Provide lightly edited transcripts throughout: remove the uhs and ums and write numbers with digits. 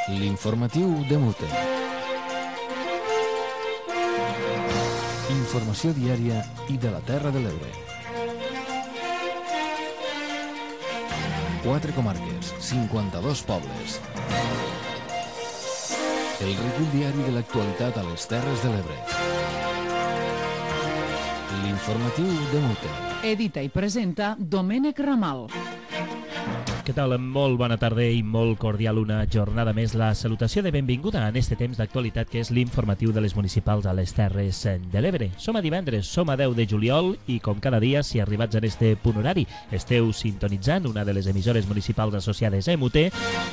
L'informatiu de Mute. Informació diària i de la Terra de l'Ebre. 4 comarques, 52 pobles. El recull diari de l'actualitat a les Terres de l'Ebre. L'informatiu de Mute. Edita i presenta Domènec Ramal. Què tal? Molt bona tarda i molt cordial una jornada més. La salutació de benvinguda en este temps d'actualitat que és l'informatiu de les municipals a les Terres de l'Ebre. Som a divendres, som a 10 de juliol i com cada dia, si arribats en este punt horari esteu sintonitzant una de les emissores municipals associades a MUT,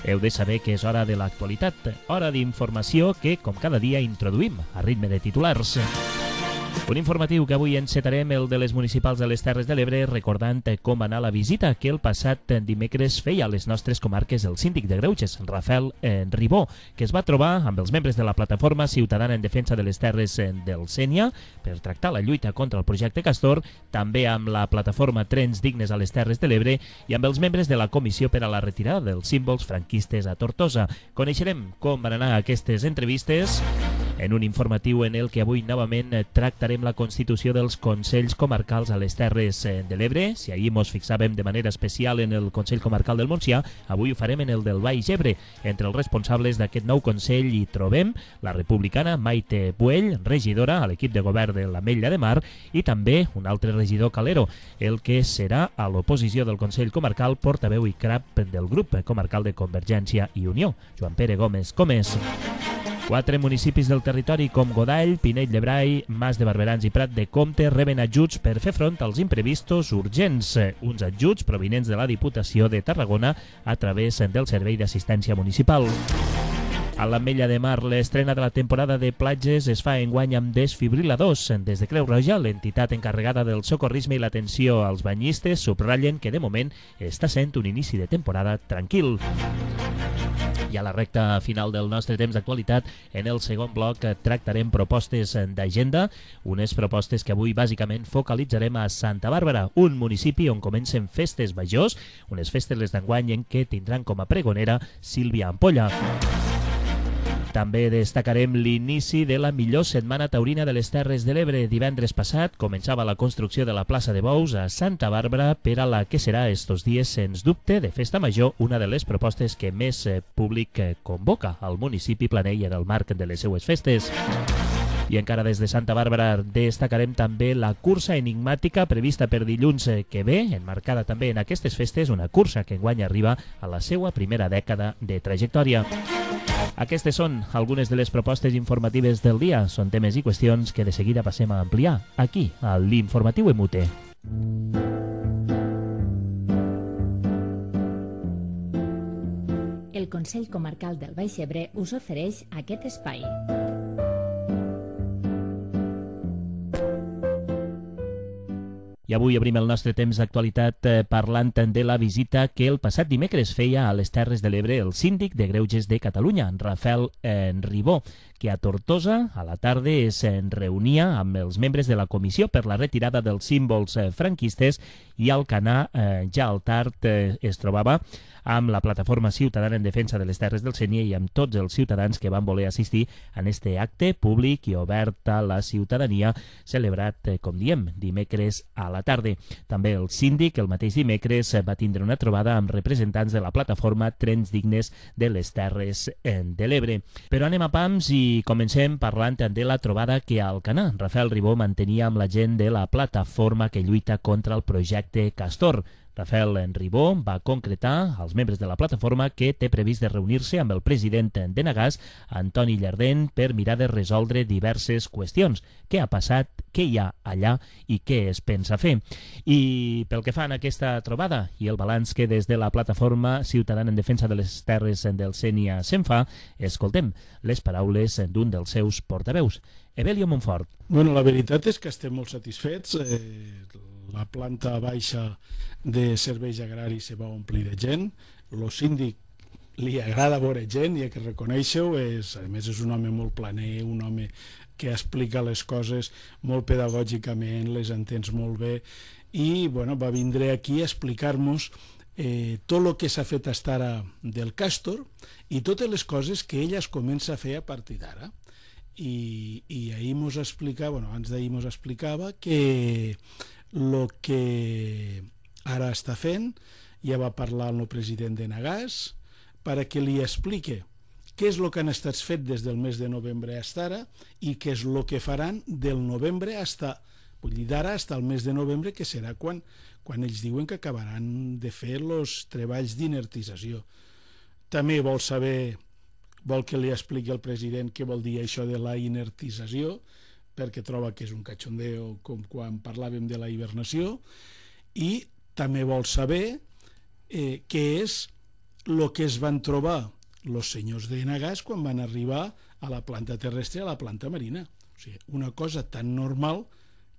heu de saber que és hora de l'actualitat, hora d'informació que com cada dia introduïm a ritme de titulars. Un informatiu que avui encetarem el de les municipals de les Terres de l'Ebre recordant com va anar la visita que el passat dimecres feia a les nostres comarques el síndic de Greuges, Rafael Ribó, que es va trobar amb els membres de la Plataforma Ciutadana en Defensa de les Terres del Sénia per tractar la lluita contra el projecte Castor, també amb la Plataforma Trens Dignes a les Terres de l'Ebre i amb els membres de la Comissió per a la Retirada dels Símbols Franquistes a Tortosa. Coneixerem com van anar aquestes entrevistes en un informatiu en el que avui novament tractarem la constitució dels Consells Comarcals a les Terres de l'Ebre. Si ahir mos fixàvem de manera especial en el Consell Comarcal del Montsià, avui ho farem en el del Baix Ebre. Entre els responsables d'aquest nou Consell hi trobem la republicana Maite Buell, regidora a l'equip de govern de l'Ametlla de Mar, i també un altre regidor calero, el que serà a l'oposició del Consell Comarcal, portaveu i cap del grup comarcal de Convergència i Unió, Joan Pere Gómez Comès. 4 municipis del territori com Godall, Pinell de Brai, Mas de Barberans i Prat de Comte reben ajuts per fer front als imprevistos urgents. Uns ajuts provinents de la Diputació de Tarragona a través del Servei d'Assistència Municipal. A l'Ametlla de Mar, l'estrena de la temporada de platges es fa enguany amb desfibriladors. Des de Creu Roja, l'entitat encarregada del socorrisme i l'atenció als banyistes, subratllen que de moment està sent un inici de temporada tranquil. I a la recta final del nostre temps d'actualitat, en el segon bloc tractarem propostes d'agenda, unes propostes que avui bàsicament focalitzarem a Santa Bàrbara, un municipi on comencen festes majors, unes festes les d'enguany en què tindran com a pregonera Sílvia Ampolla. També destacarem l'inici de la millor setmana taurina de les Terres de l'Ebre. Divendres passat començava la construcció de la plaça de Bous a Santa Bàrbara per a la que serà estos dies, sens dubte, de festa major, una de les propostes que més públic convoca al municipi planell en el marc de les seues festes. I encara des de Santa Bàrbara destacarem també la cursa enigmàtica prevista per dilluns que ve, enmarcada també en aquestes festes, una cursa que enguany arriba a la seva primera dècada de trajectòria. Aquestes són algunes de les propostes informatives del dia. Són temes i qüestions que de seguida passem a ampliar aquí, a l'Informatiu MUT. El Consell Comarcal del Baix Ebre us ofereix aquest espai. I avui obrim el nostre temps d'actualitat parlant de la visita que el passat dimecres feia a les Terres de l'Ebre el síndic de Greuges de Catalunya, Rafael Ribó, que a Tortosa, a la tarda, es reunia amb els membres de la Comissió per la Retirada dels Símbols Franquistes i al Alcanar, ja al tard, es trobava amb la Plataforma Ciutadana en Defensa de les Terres del Sénia i amb tots els ciutadans que van voler assistir en este acte públic i obert a la ciutadania, celebrat, com diem, dimecres a la tarda. També el síndic, el mateix dimecres, va tindre una trobada amb representants de la Plataforma Trens Dignes de les Terres de l'Ebre. Però anem a pams i comencem parlant de la trobada que a Alcanar Rafael Ribó mantenia amb la gent de la plataforma que lluita contra el projecte Castor. Rafael Ribó va concretar als membres de la plataforma que té previst de reunir-se amb el president d'Enagás, Antoni Llardén, per mirar de resoldre diverses qüestions. Què ha passat, què hi ha allà i què es pensa fer? I pel que fa a aquesta trobada i el balanç que des de la Plataforma Ciutadana en Defensa de les Terres del Sénia se'n fa, escoltem les paraules d'un dels seus portaveus, Evelio Montfort. Bueno, la veritat és que estem molt satisfets. La planta baixa de serveis agraris se va omplir de gent. El síndic li agrada veure gent, i que reconeixeu, a més és un home molt planer, un home que explica les coses molt pedagògicament, les entens molt bé, i bueno, va vindre aquí a explicar-nos tot el que s'ha fet fins ara del Castor i totes les coses que ella es comença a fer a partir d'ara. I ahir mos explicava, abans d'ahir mos explicava que el que ara està fent, ja va parlar amb el president d'Enagàs perquè li explique què és el que han estat fet des del mes de novembre fins ara i què és el que faran del novembre vull dir d'ara fins al mes de novembre, que serà quan ells diuen que acabaran de fer els treballs d'inertització. També vol que li expliqui al president què vol dir això de la inertització, perquè troba que és un cachondeo com quan parlàvem de la hibernació, i també vol saber què és el que es van trobar els senyors d'Enagàs quan van arribar a la planta terrestre i a la planta marina. O sigui, una cosa tan normal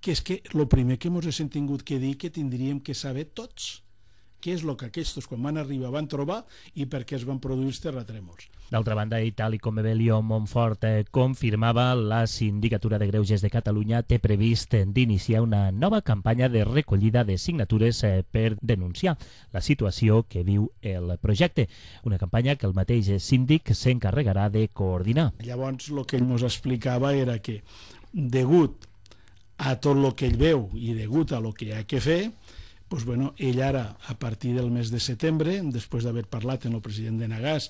que és que el primer que ens hem tingut que dir que tindríem que saber tots què és el que aquests quan van arribar van trobar i per què es van produir els terratrèmols. D'altra banda, i tal com Evelio Montfort confirmava, la Sindicatura de Greuges de Catalunya té previst d'iniciar una nova campanya de recollida de signatures per denunciar la situació que viu el projecte. Una campanya que el mateix síndic s'encarregarà de coordinar. Llavors, el que ell ens explicava era que, degut a tot el que ell veu i degut a el que hi ha que fer, doncs, ell ara, a partir del mes de setembre, després d'haver parlat amb el president d'Enagàs,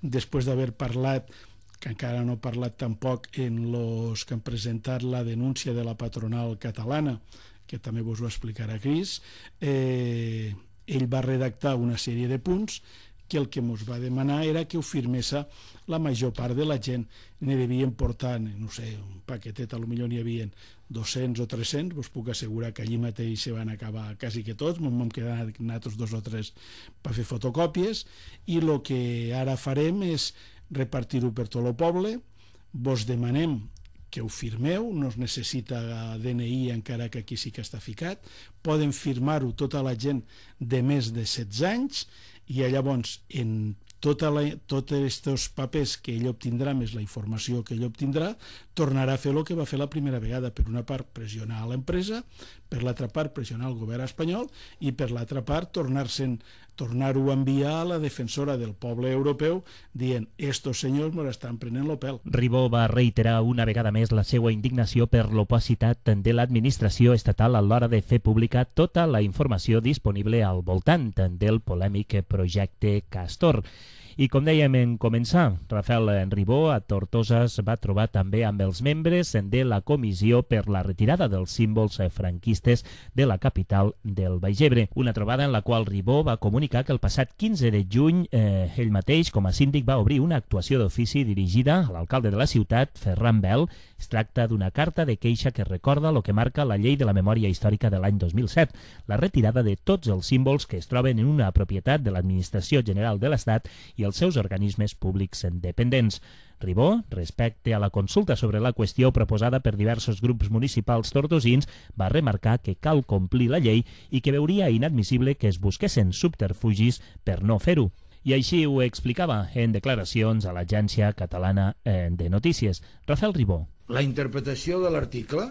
després d'haver parlat, que encara no ha parlat tampoc en els que han presentat la denúncia de la patronal catalana, que també vos ho explicarà Cris, ell va redactar una sèrie de punts que el que ens va demanar era que ho firmés la major part de la gent. Ne devien portar, no sé, un paquetet, potser n'hi havia 200 o 300, vos puc assegurar que allí mateix se van acabar quasi que tots, vam quedar nosaltres 2 o 3 per fer fotocòpies, i el que ara farem és repartir-ho per tot el poble. Vos demanem que ho firmeu, no es necessita DNI encara que aquí sí que està ficat, poden firmar-ho tota la gent de més de 16 anys, i llavors en tots aquests papers que ell obtindrà, més la informació que ell obtindrà, tornarà a fer el que va fer la primera vegada. Per una part, pressionar a l'empresa, per l'altra part, pressionar el govern espanyol, i per l'altra part, tornar-ho a enviar a la defensora del poble europeu dient, estos senyors me l'estan prenent el pèl. Ribó va reiterar una vegada més la seva indignació per l'opacitat de l'administració estatal a l'hora de fer pública tota la informació disponible al voltant del polèmic projecte Castor. I com dèiem en començar, Rafael Ribó a Tortosa es va trobar també amb els membres de la comissió per la retirada dels símbols franquistes de la capital del Baix Ebre. Una trobada en la qual Ribó va comunicar que el passat 15 de juny ell mateix, com a síndic, va obrir una actuació d'ofici dirigida a l'alcalde de la ciutat, Ferran Bel. Es tracta d'una carta de queixa que recorda el que marca la llei de la memòria històrica de l'any 2007, la retirada de tots els símbols que es troben en una propietat de l'Administració General de l'Estat i els seus organismes públics dependents. Ribó, respecte a la consulta sobre la qüestió proposada per diversos grups municipals tortosins, va remarcar que cal complir la llei i que veuria inadmissible que es busquessin subterfugis per no fer-ho. I així ho explicava en declaracions a l'Agència Catalana de Notícies. Rafael Ribó. La interpretació de l'article,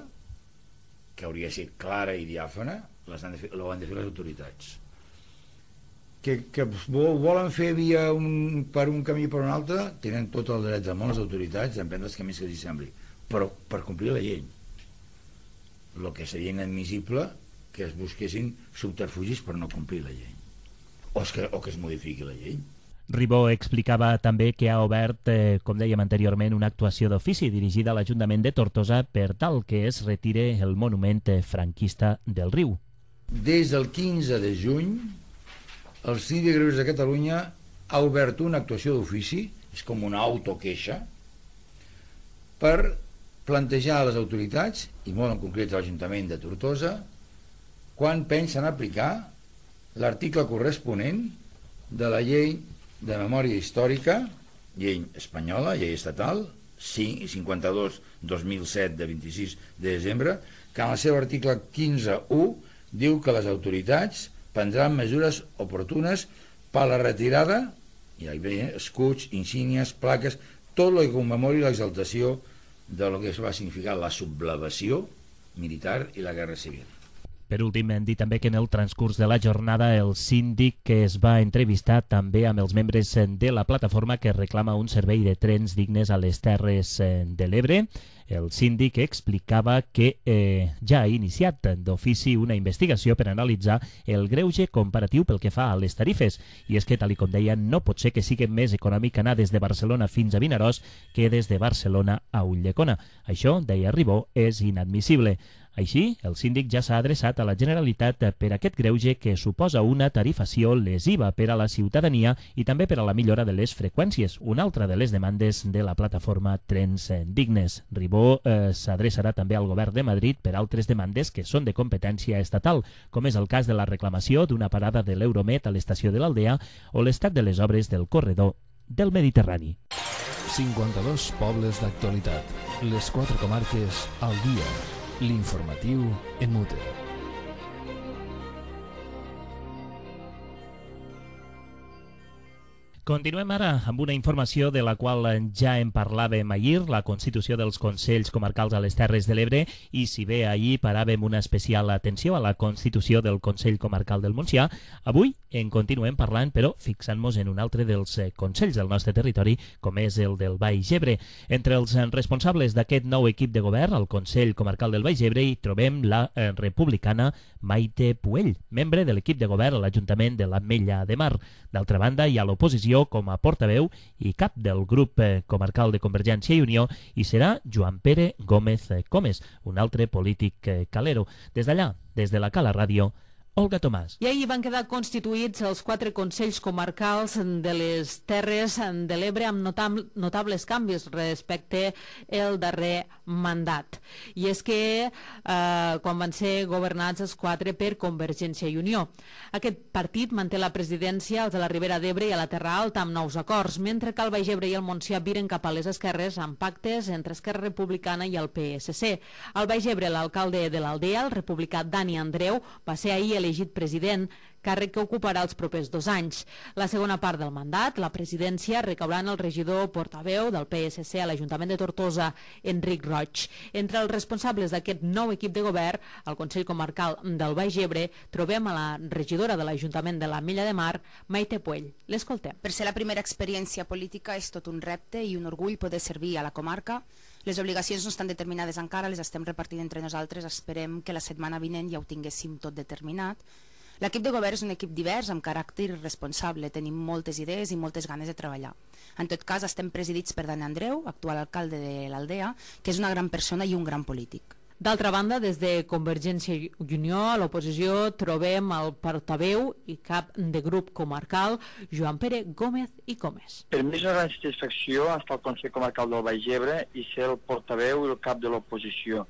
que hauria de ser clara i diàfana, ho han de fer les autoritats. Que volen fer per un camí o per un altre, tenen tot el dret del món les autoritats d'emprendre els camins que els sembli, però per complir la llei. El que seria inadmissible que es busquessin subterfugis per no complir la llei, o que es modifiqui la llei. Ribó explicava també que ha obert, com dèiem anteriorment, una actuació d'ofici dirigida a l'Ajuntament de Tortosa per tal que es retire el monument franquista del riu. Des del 15 de juny, el Síndic de Greuges de Catalunya ha obert una actuació d'ofici, és com una autoqueixa, per plantejar a les autoritats, i molt en concret a l'Ajuntament de Tortosa, quan pensen aplicar l'article corresponent de la llei de memòria històrica, llei espanyola, llei estatal, 52/2007 de 26 de desembre, que en el seu article 15.1 diu que les autoritats prendran mesures oportunes per a la retirada, i hi ve escuts, insígnies, plaques, tot el que commemori l'exaltació de lo que va significar la sublevació militar i la guerra civil. Per últim, hem dit també que en el transcurs de la jornada el síndic que es va entrevistar també amb els membres de la plataforma que reclama un servei de trens dignes a les Terres de l'Ebre. El síndic explicava que ja ha iniciat d'ofici una investigació per analitzar el greuge comparatiu pel que fa a les tarifes. I és que, tal com deia, no pot ser que sigui més econòmic anar des de Barcelona fins a Vinaròs que des de Barcelona a Ulldecona. Això, deia Ribó, és inadmissible. Així, el síndic ja s'ha adreçat a la Generalitat per aquest greuge que suposa una tarifació lesiva per a la ciutadania i també per a la millora de les freqüències, una altra de les demandes de la plataforma Trens Dignes. Ribó s'adreçarà també al govern de Madrid per altres demandes que són de competència estatal, com és el cas de la reclamació d'una parada de l'Euromet a l'estació de l'Aldea o l'estat de les obres del corredor del Mediterrani. 52 pobles d'actualitat. Les 4 comarques al dia. L'informatiu en mute. Continuem ara amb una informació de la qual ja en parlàvem ahir, la constitució dels Consells Comarcals a les Terres de l'Ebre, i si bé ahir paràvem una especial atenció a la constitució del Consell Comarcal del Montsià, avui en continuem parlant, però fixant-nos en un altre dels consells del nostre territori, com és el del Baix Ebre. Entre els responsables d'aquest nou equip de govern, al Consell Comarcal del Baix Ebre, hi trobem la republicana Maite Puell, membre de l'equip de govern a l'Ajuntament de l'Ametlla de Mar. D'altra banda, hi ha l'oposició com a portaveu i cap del grup comarcal de Convergència i Unió, i serà Joan Pere Gómez Comes, un altre polític calero. Des d'allà, des de la Cala Ràdio, Olga Tomàs. I ahir van quedar constituïts els 4 consells comarcals de les Terres de l'Ebre amb notables canvis respecte al darrer mandat. I és que quan van ser governats els 4 per Convergència i Unió. Aquest partit manté la presidència als de la Ribera d'Ebre i a la Terra Alta amb nous acords, mentre que el Baix Ebre i el Montsià viren cap a les esquerres amb pactes entre Esquerra Republicana i el PSC. Al Baix Ebre, l'alcalde de l'Aldea, el republicà Dani Andreu, va ser ahir elegit president, càrrec que ocuparà els propers 2 anys. La segona part del mandat, la presidència, recaurà en el regidor portaveu del PSC a l'Ajuntament de Tortosa, Enric Roig. Entre els responsables d'aquest nou equip de govern, al Consell Comarcal del Baix Ebre, trobem a la regidora de l'Ajuntament de l'Ametlla de Mar, Maite Puell. L'escoltem. Per ser la primera experiència política és tot un repte i un orgull poder servir a la comarca. Les obligacions no estan determinades encara, les estem repartint entre nosaltres. Esperem que la setmana vinent ja ho tinguéssim tot determinat. L'equip de govern és un equip divers, amb caràcter responsable. Tenim moltes idees i moltes ganes de treballar. En tot cas, estem presidits per Dani Andreu, actual alcalde de l'Aldea, que és una gran persona i un gran polític. D'altra banda, des de Convergència i Unió, a l'oposició, trobem el portaveu i cap de grup comarcal, Joan Pere Gómez i Comes. Per mi és una gran satisfacció estar al Consell Comarcal del Baix Ebre i ser el portaveu i el cap de l'oposició.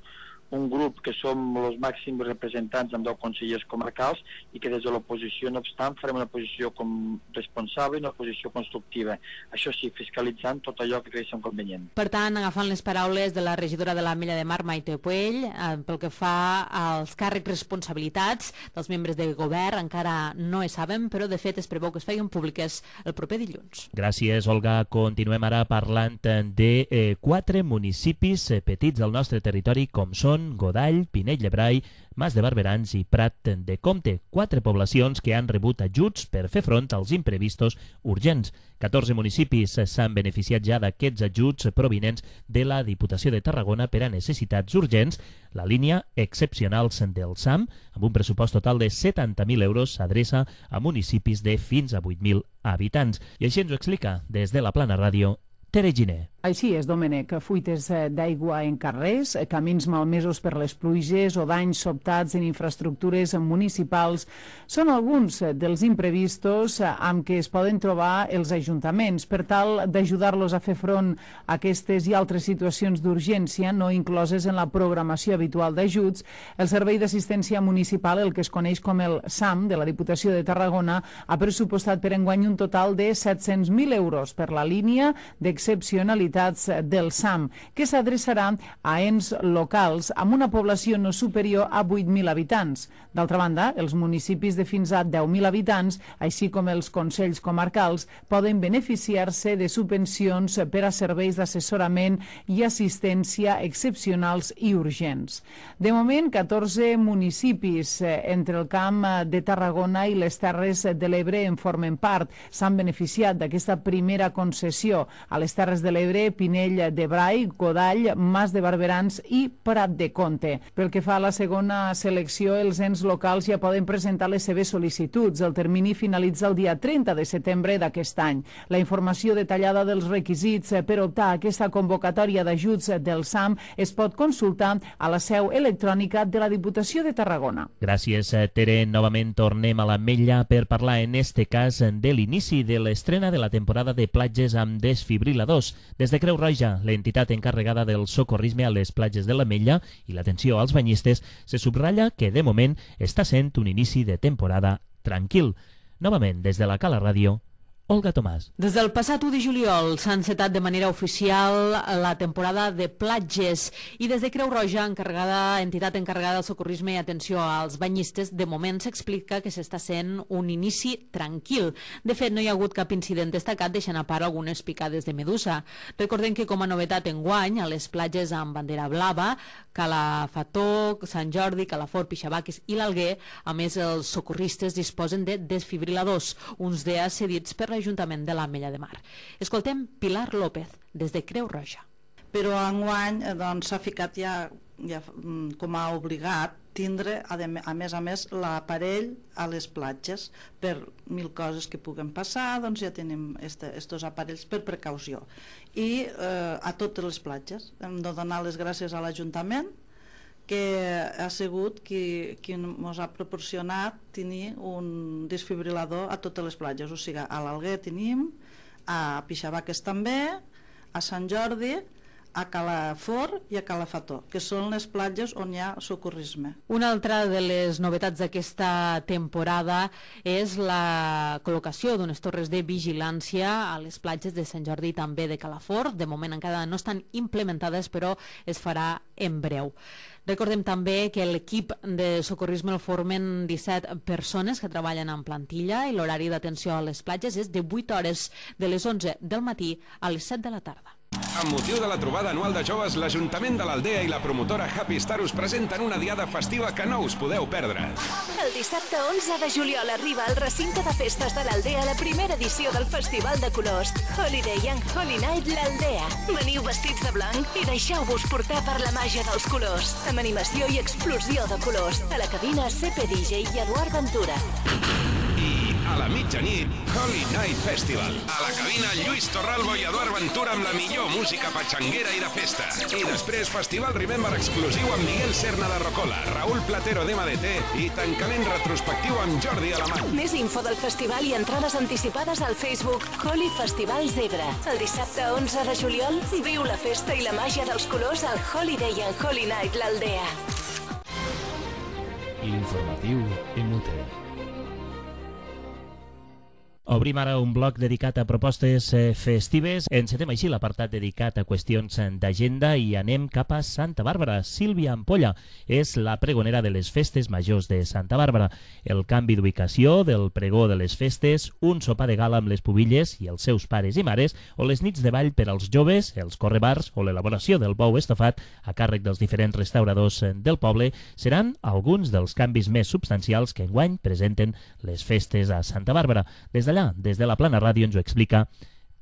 Un grup que som els màxims representants amb 10 consellers comarcals i que des de l'oposició, no obstant, farem una posició com responsable i una posició constructiva. Això sí, fiscalitzant tot allò que creiem convenient. Per tant, agafant les paraules de la regidora de l'Ametlla de Mar, Maite Puell, pel que fa als càrrecs responsabilitats dels membres de govern, encara no es saben, però de fet es preveu que es feien públiques el proper dilluns. Gràcies, Olga. Continuem ara parlant de 4 municipis petits del nostre territori, com són Godall, Pinell de Brai, Mas de Barberans i Prat de Comte, 4 poblacions que han rebut ajuts per fer front als imprevistos urgents. 14 municipis s'han beneficiat ja d'aquests ajuts provinents de la Diputació de Tarragona per a necessitats urgents. La línia Excepcionals del SAM, amb un pressupost total de 70.000 euros, s'adreça a municipis de fins a 8.000 habitants. I així ens ho explica des de la Plana Ràdio Tere Giner. Així és, Domènec. Fuites d'aigua en carrers, camins malmesos per les pluges o danys sobtats en infraestructures municipals són alguns dels imprevistos amb què es poden trobar els ajuntaments. Per tal d'ajudar-los a fer front a aquestes i altres situacions d'urgència no incloses en la programació habitual d'ajuts, el Servei d'Assistència Municipal, el que es coneix com el SAM de la Diputació de Tarragona, ha pressupostat per enguany un total de 700.000 euros per la línia d'Excepcionals excepcionalitats del SAM, que s'adreçarà a ens locals amb una població no superior a 8.000 habitants. D'altra banda, els municipis de fins a 10.000 habitants, així com els consells comarcals, poden beneficiar-se de subvencions per a serveis d'assessorament i assistència excepcionals i urgents. De moment, 14 municipis entre el Camp de Tarragona i les Terres de l'Ebre en formen part. S'han beneficiat d'aquesta primera concessió. A les Terres de l'Ebre, Pinell de Brai, Godall, Mas de Barberans i Prat de Comte. Pel que fa a la segona selecció, els ens locals ja poden presentar les seves sol·licituds. El termini finalitza el dia 30 de setembre d'aquest any. La informació detallada dels requisits per optar a aquesta convocatòria d'ajuts del SAM es pot consultar a la seu electrònica de la Diputació de Tarragona. Gràcies, Tere. Novament tornem a l'Ametlla per parlar, en este cas, de l'inici de l'estrena de la temporada de platges amb desfibriladors. Des de Creu Roja, l'entitat encarregada del socorrisme a les platges de l'Ametlla i l'atenció als banyistes, se subratlla que, de moment, està sent un inici de temporada tranquil. Novament, des de la Cala Ràdio, Olga Tomàs. Des del passat 1 de juliol s'ha encetat de manera oficial la temporada de platges i des de Creu Roja, entitat encarregada del socorrisme i atenció als banyistes, de moment s'explica que s'està sent un inici tranquil. De fet, no hi ha hagut cap incident destacat, deixant a part algunes picades de medusa. Recordem que com a novetat enguany, a les platges amb bandera blava, Cala Fató, Sant Jordi, Calafort, Pixabaques i l'Alguer, a més els socorristes disposen de desfibriladors, uns d'ells cedits per l'Ajuntament de l'Ametlla de Mar. Escoltem Pilar López, des de Creu Roja. Però enguany s'ha ficat ja com a obligat tindre, a més, l'aparell a les platges. Per 1.000 coses que puguen passar, doncs ja tenim estos aparells per precaució. I a totes les platges. Hem de donar les gràcies a l'Ajuntament, que ha sigut qui ens ha proporcionat tenir un desfibrilador a totes les platges. O sigui, a l'Alguer tenim, a Pixabaques també, a Sant Jordi, a Calafort i a Calafató, que són les platges on hi ha socorrisme. Una altra de les novetats d'aquesta temporada és la col·locació d'unes torres de vigilància a les platges de Sant Jordi i també de Calafort. De moment encara no estan implementades, però es farà en breu. Recordem també que l'equip de socorrisme el formen 17 persones que treballen en plantilla i l'horari d'atenció a les platges és de 8 hores, de les 11 del matí a les 7 de la tarda. Amb motiu de la trobada anual de joves, l'Ajuntament de l'Aldea i la promotora Happy Star us presenten una diada festiva que no us podeu perdre. El dissabte 11 de juliol arriba al recinte de festes de l'Aldea la primera edició del Festival de Colors Holiday and Holy Night l'Aldea. Veniu vestits de blanc i deixeu-vos portar per la màgia dels colors, amb animació i explosió de colors. A la cabina CP DJ i Eduard Ventura. I a la mitjanit, Holy Night Festival. A la cabina, Lluís Torralbo i Eduard Ventura amb la millor música patxanguera i de festa. I després, Festival Remember exclusiu amb Miguel Serna de Rocola, Raúl Platero d'MDT i tancament retrospectiu amb Jordi Alemany. Més info del festival i entrades anticipades al Facebook Holy Festival Zebra. El dissabte 11 de juliol, viu la festa i la màgia dels colors al Holiday and Holy Night l'Aldea. L'informatiu en UTE. Obrim ara un bloc dedicat a propostes festives. Encetem així l'apartat dedicat a qüestions d'agenda i anem cap a Santa Bàrbara. Sílvia Ampolla és la pregonera de les festes majors de Santa Bàrbara. El canvi d'ubicació del pregó de les festes, un sopar de gala amb les pubilles i els seus pares i mares, o les nits de ball per als joves, els correbars o l'elaboració del bou estofat a càrrec dels diferents restauradors del poble seran alguns dels canvis més substancials que enguany presenten les festes a Santa Bàrbara. Des d'allà, des de la Plana Ràdio, ens ho explica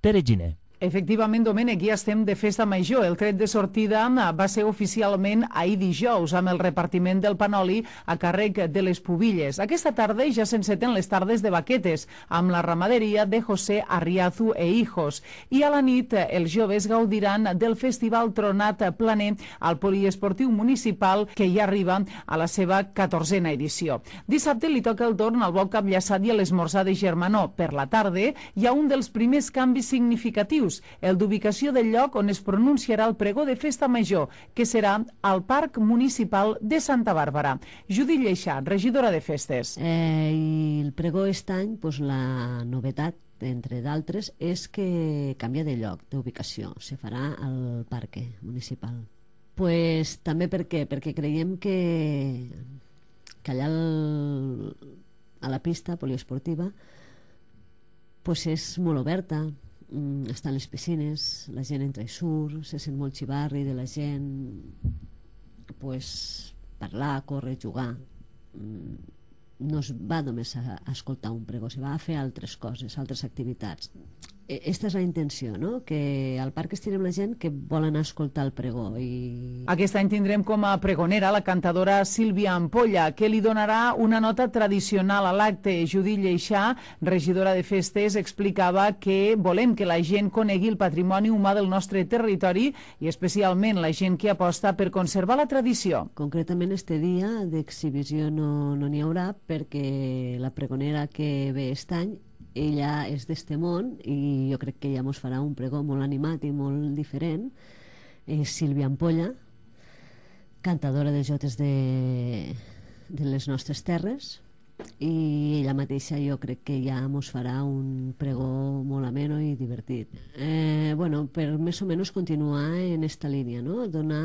Tere Giner. Efectivament, Domènec, ja estem de festa major. El tret de sortida va ser oficialment ahir dijous, amb el repartiment del panoli a càrrec de les pubilles. Aquesta tarda ja s'enceten les tardes de baquetes, amb la ramaderia de José Arriazu e Hijos. I a la nit, els joves gaudiran del Festival Tronat Planer al Poliesportiu Municipal, que ja arriba a la seva 14a edició. Dissabte li toca el torn al bou capllaçat i a l'esmorzar de Germanó. Per la tarda hi ha un dels primers canvis significatius, el d'ubicació del lloc on es pronunciarà el pregó de festa major, que serà al Parc Municipal de Santa Bàrbara. Judit Lleixà, regidora de festes. El pregó aquest any, la novetat entre d'altres, és que canvia de lloc, d'ubicació. Se farà al parc municipal. Pues, també per què? Perquè creiem que allà a la pista poliesportiva pues és molt oberta, estan les piscines, la gent entra i surt, se sent molt xivarri de la gent, pues, parlar, córrer, jugar. No es va només a escoltar un pregó, se va a fer altres coses, altres activitats. Esta és la intenció, no? Que al parc estirem la gent que vol anar a escoltar el pregó. Aquest any tindrem com a pregonera la cantadora Sílvia Ampolla, que li donarà una nota tradicional a l'acte. Judit Lleixà, regidora de festes, explicava que volem que la gent conegui el patrimoni humà del nostre territori i especialment la gent que aposta per conservar la tradició. Concretament este dia d'exhibició no n'hi haurà perquè la pregonera que ve aquest any ella és d'este món i jo crec que ella mos farà un pregó molt animat i molt diferent. És Sílvia Ampolla, cantadora de jotes de les nostres terres, i ella mateixa jo crec que ja mos farà un pregó molt ameno i divertit. Per més o menys continuar en esta línia, no? Donar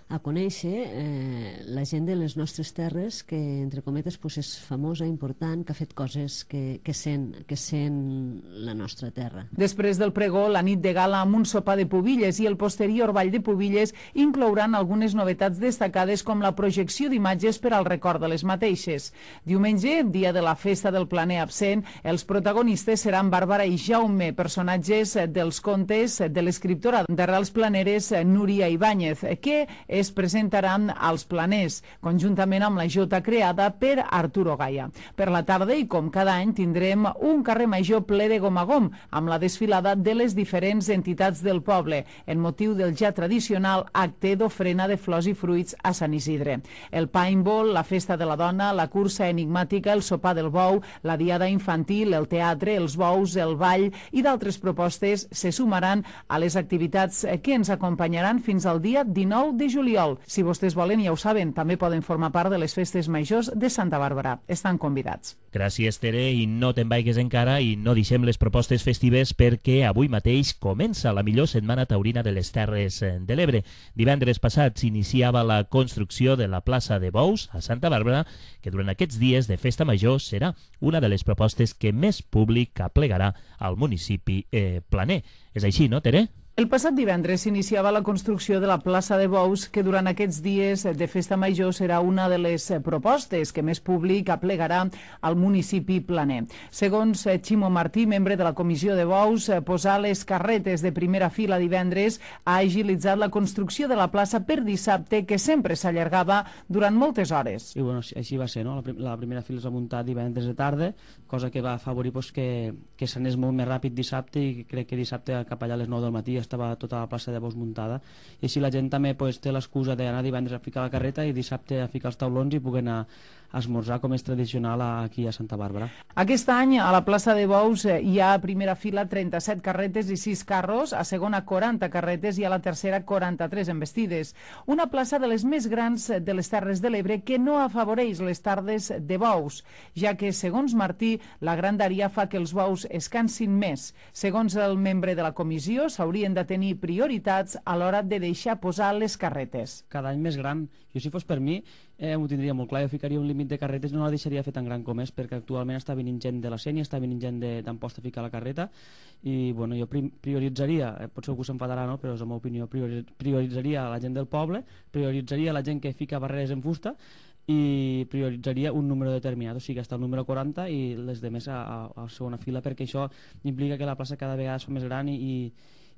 a conèixer la gent de les nostres terres que, entre cometes, és famosa, important, que ha fet coses que sent la nostra terra. Després del pregó, la nit de gala amb un sopar de pubilles i el posterior ball de pubilles inclouran algunes novetats destacades com la projecció d'imatges per al record de les mateixes. Diumenge, dia de la festa del planer absent, els protagonistes seran Bàrbara i Jaume, personatges dels contes de l'escriptora d'arrels planeres Núria Ibáñez, que es presentaran als planers, conjuntament amb la jota creada per Arturo Gaia. Per la tarda, i com cada any, tindrem un carrer major ple de gom a gom, amb la desfilada de les diferents entitats del poble, en motiu del ja tradicional acte d'ofrena de flors i fruits a Sant Isidre. El paintball, la festa de la dona, la cursa enigmàtica, el sopar del bou, la diada infantil, el teatre, els bous, el ball i d'altres propostes se sumaran a les activitats que ens acompanyaran fins al dia 19 de juliol. Si vostès volen, ja ho saben, també poden formar part de les festes majors de Santa Bàrbara. Estan convidats. Gràcies, Tere, i no te'n vaigues encara i no deixem les propostes festives perquè avui mateix comença la millor setmana taurina de les Terres de l'Ebre. Divendres passat s'iniciava la construcció de la plaça de Bous a Santa Bàrbara, que durant aquests dies de festa major serà una de les propostes que més públic aplegarà al municipi planer. És així, no, Tere? El passat divendres s'iniciava la construcció de la plaça de Bous, que durant aquests dies de festa major serà una de les propostes que més públic aplegarà al municipi planer. Segons Ximo Martí, membre de la comissió de Bous, posar les carretes de primera fila divendres ha agilitzat la construcció de la plaça per dissabte, que sempre s'allargava durant moltes hores. I bueno, així va ser, no? La primera fila es va muntar divendres de tarda, cosa que va afavorir que s'anés molt més ràpid dissabte, i crec que dissabte cap allà a les 9 del matí estava tota la plaça de Bous muntada, i així la gent també té l'excusa d'anar divendres a ficar la carreta i dissabte a ficar els taulons i poder anar a esmorzar, com és tradicional aquí a Santa Bàrbara. Aquest any a la plaça de Bous hi ha a primera fila 37 carretes i 6 carros, a segona 40 carretes i a la tercera 43 embestides. Una plaça de les més grans de les Terres de l'Ebre que no afavoreix les tardes de bous, ja que, segons Martí, la grandària fa que els bous es cansin més. Segons el membre de la comissió, s'haurien de tenir prioritats a l'hora de deixar posar les carretes. Cada any més gran. Jo, si fos per mi, m'ho tindria molt clar. Jo ficaria un límit de carretes, no la deixaria fer tan gran com és, perquè actualment està venint gent de la Sénia, està venint gent d'Amposta a ficar la carreta, i bueno, jo prioritzaria, potser algú s'enfadarà, no? Però és la meva opinió, prioritzaria la gent del poble, prioritzaria la gent que fica barreres en fusta, i prioritzaria un número determinat, o sigui, hasta el número 40 i les demés a segona fila, perquè això implica que la plaça cada vegada és més gran i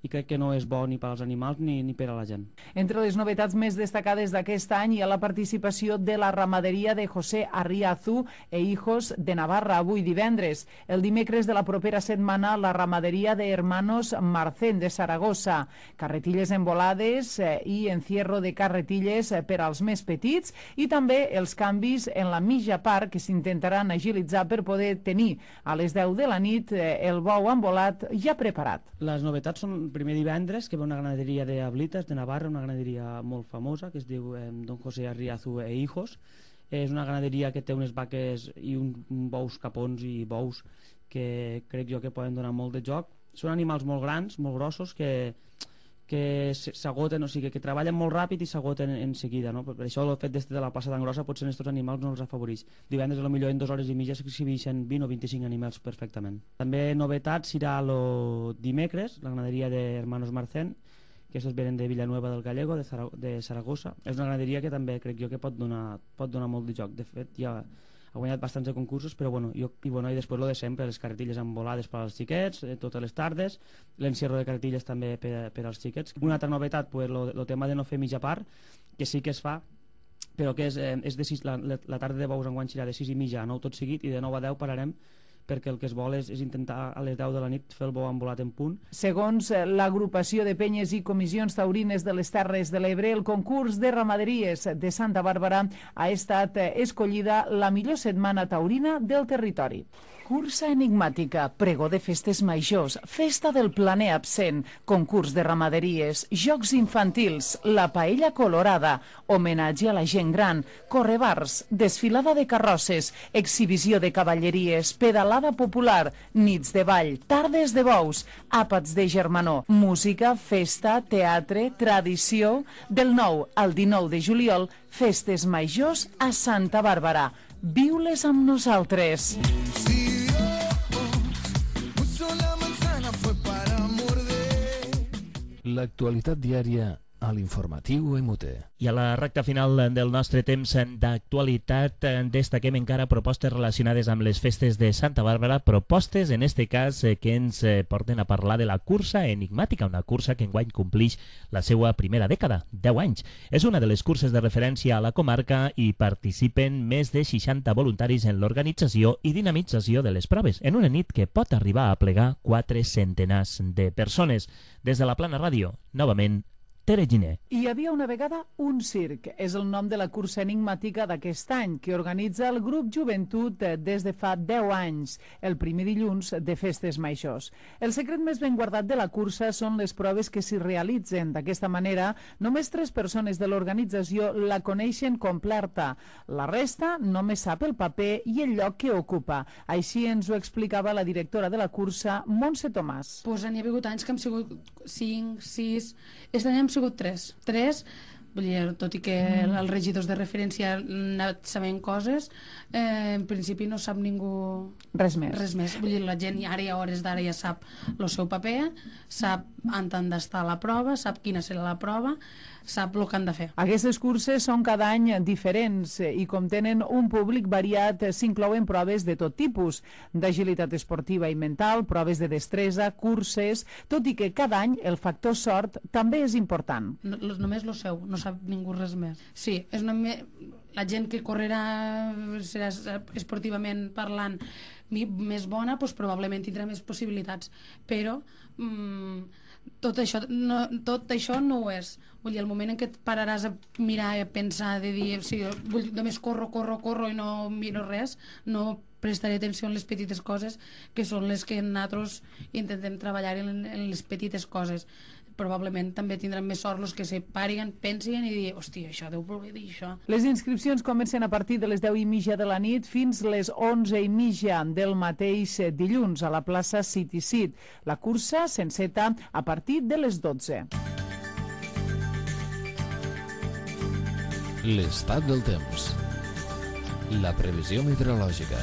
crec que no és bo ni per als animals ni per a la gent. Entre les novetats més destacades d'aquest any hi ha la participació de la ramaderia de José Arriazu e Hijos de Navarra avui divendres. El dimecres de la propera setmana la ramaderia de Hermanos Marcén de Saragossa. Carretilles envolades i encierro de carretilles per als més petits, i també els canvis en la mitja part que s'intentaran agilitzar per poder tenir a les 10 de la nit el bou envolat ja preparat. Les novetats són primer divendres, que ve una ganaderia de Ablitas, de Navarra, una ganaderia molt famosa, que es diu Don José Arriazu e Hijos. És una ganaderia que té unes vaques i bous capons i bous que crec jo que poden donar molt de joc. Són animals molt grans, molt grossos, que s'agoten, o sigui, que treballen molt ràpid i s'agoten en seguida, no? Per això el fet de la plaça tan grossa potser en aquests animals no els afavoreix. Divendres potser en 2 hores i mitja s'exhibeixen 20 o 25 animals perfectament. També novetat serà el dimecres, la ganaderia d'Hermanos Marcén, que aquests venen de Villanueva del Gallego, de Saragossa. És una ganaderia que també crec jo que pot donar molt de joc. De fet, ja ha guanyat bastants de concursos, però i després lo de sempre, les carretilles envolades per als xiquets, totes les tardes, l'encierro de carretilles també per als xiquets. Una altra novetat, el tema de no fer mitja part, que sí que es fa, però que és de 6, la tarda de bous enguany serà de 6 i mitja a 9 tot seguit, i de 9 a 10 pararem, perquè el que es vol és intentar a les 10 de la nit fer el bou envolat en punt. Segons l'agrupació de penyes i comissions taurines de les Terres de l'Ebre, el concurs de ramaderies de Santa Bàrbara ha estat escollida la millor setmana taurina del territori. Cursa enigmàtica, pregó de festes majors, festa del planer absent, concurs de ramaderies, jocs infantils, la paella colorada, homenatge a la gent gran, correbars, desfilada de carrosses, exhibició de cavalleries, pedalada popular, nits de ball, tardes de bous, àpats de germanor, música, festa, teatre, tradició. Del 9 al 19 de juliol, festes majors a Santa Bàrbara. Viu-les amb nosaltres. L'actualitat diària a l'informatiu EMUTE. I a la recta final del nostre temps d'actualitat destaquem encara propostes relacionades amb les festes de Santa Bàrbara, propostes en este cas que ens porten a parlar de la cursa enigmàtica, una cursa que enguany complix la seva primera dècada, 10 anys. És una de les curses de referència a la comarca i participen més de 60 voluntaris en l'organització i dinamització de les proves, en una nit que pot arribar a plegar 4 centenars de persones. Des de la Plana Ràdio, novament, Tere Giner. Hi havia una vegada un circ. És el nom de la cursa enigmàtica d'aquest any, que organitza el grup Joventut des de fa 10 anys, el primer dilluns de festes majors. El secret més ben guardat de la cursa són les proves que s'hi realitzen. D'aquesta manera, només 3 persones de l'organització la coneixen completa. La resta només sap el paper i el lloc que ocupa. Així ens ho explicava la directora de la cursa, Montse Tomàs. Pues n'hi ha hagut anys que hem sigut 5, 6... Aquest any hem sigut 3. Vull dir, tot i que els regidors de referència han anat sabent coses, en principi no sap ningú res més. Vull dir, la gent ara a hores d'ara ja sap el seu paper, sap on han d'estar la prova, sap quina serà la prova, sap el que han de fer. Aquestes curses són cada any diferents i com tenen un públic variat s'inclouen proves de tot tipus, d'agilitat esportiva i mental, proves de destresa, curses, tot i que cada any el factor sort també és important. Només lo seu, no sap ningú res més. Sí, és la gent que correrà, serà esportivament parlant més bona, doncs probablement tindrà més possibilitats, però tot això no ho és. Vull dir, el moment en què et pararàs a mirar i a pensar, de dir, només corro i no miro res, no prestaré atenció en les petites coses, que són les que nosaltres intentem treballar en les petites coses. Probablement també tindran més sort els que se pariguen, pensin i dir, hòstia, això deu voler dir això. Les inscripcions comencen a partir de les 10:30 de la nit fins les 11:30 del mateix dilluns a la plaça City Seat. La cursa s'enceta a partir de les 12. L'estat del temps. La previsió meteorològica.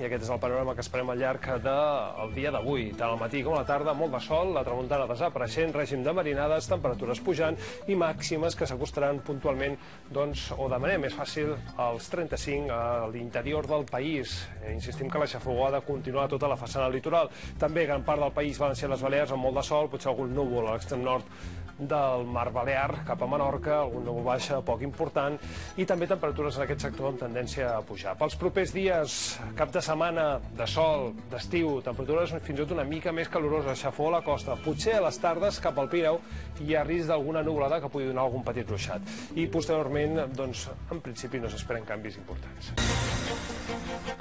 I aquest és el panorama que esperem al llarg del dia d'avui. Tant al matí com a la tarda, molt de sol, la tramuntana desapareixent, règim de marinades, temperatures pujant i màximes que s'acostaran puntualment, o de manera més fàcil, als 35 a l'interior del país. Insistim que la xafogó ha de continuar tota la façana litoral. També gran part del país valencià i les Balears amb molt de sol, potser algun núvol a l'extrem nord del Mar Balear cap a Menorca, algun núvol baixa poc important, i també temperatures en aquest sector amb tendència a pujar. Pels propers dies, cap de setmana de sol, d'estiu, temperatures fins i tot una mica més caloroses, xafó a la costa, potser a les tardes cap al Pirineu hi ha risc d'alguna nuvolada que pugui donar algun petit ruixat. I posteriorment, en principi no s'esperen canvis importants.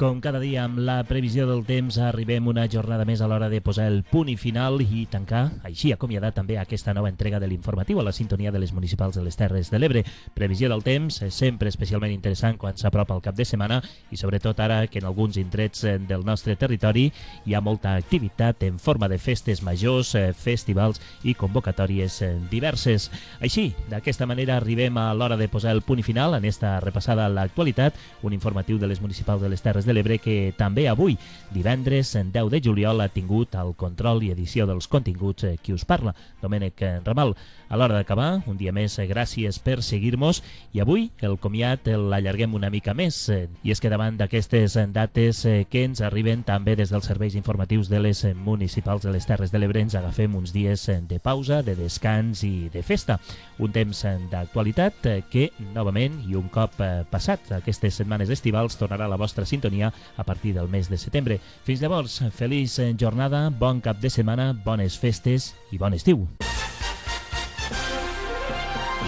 Com cada dia, amb la previsió del temps, arribem una jornada més a l'hora de posar el punt i final i tancar, així acomiadar també aquesta nova entrega de l'informatiu a la sintonia de les municipals de les Terres de l'Ebre. Previsió del temps, sempre especialment interessant quan s'apropa el cap de setmana i sobretot ara que en alguns indrets del nostre territori hi ha molta activitat en forma de festes majors, festivals i convocatòries diverses. Així, d'aquesta manera arribem a l'hora de posar el punt i final en esta repassada a l'actualitat, un informatiu de les municipals de les Terres de l'Ebre que també avui, divendres 10 de juliol, ha tingut el control i edició dels continguts qui us parla, Domènec Ramal. A l'hora d'acabar, un dia més, gràcies per seguir-nos i avui el comiat l'allarguem una mica més i és que davant d'aquestes dates que ens arriben també des dels serveis informatius de les municipals de les Terres de l'Ebre ens agafem uns dies de pausa, de descans i de festa. Un temps d'actualitat que, novament, i un cop passat aquestes setmanes estivals, tornarà a la vostra sintonia a partir del mes de setembre. Fins llavors, feliç jornada, bon cap de setmana, bones festes i bon estiu.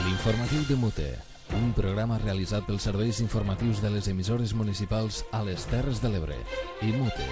L'informatiu de Mute, un programa realitzat pels serveis informatius de les emissores municipals a les Terres de l'Ebre i Mute.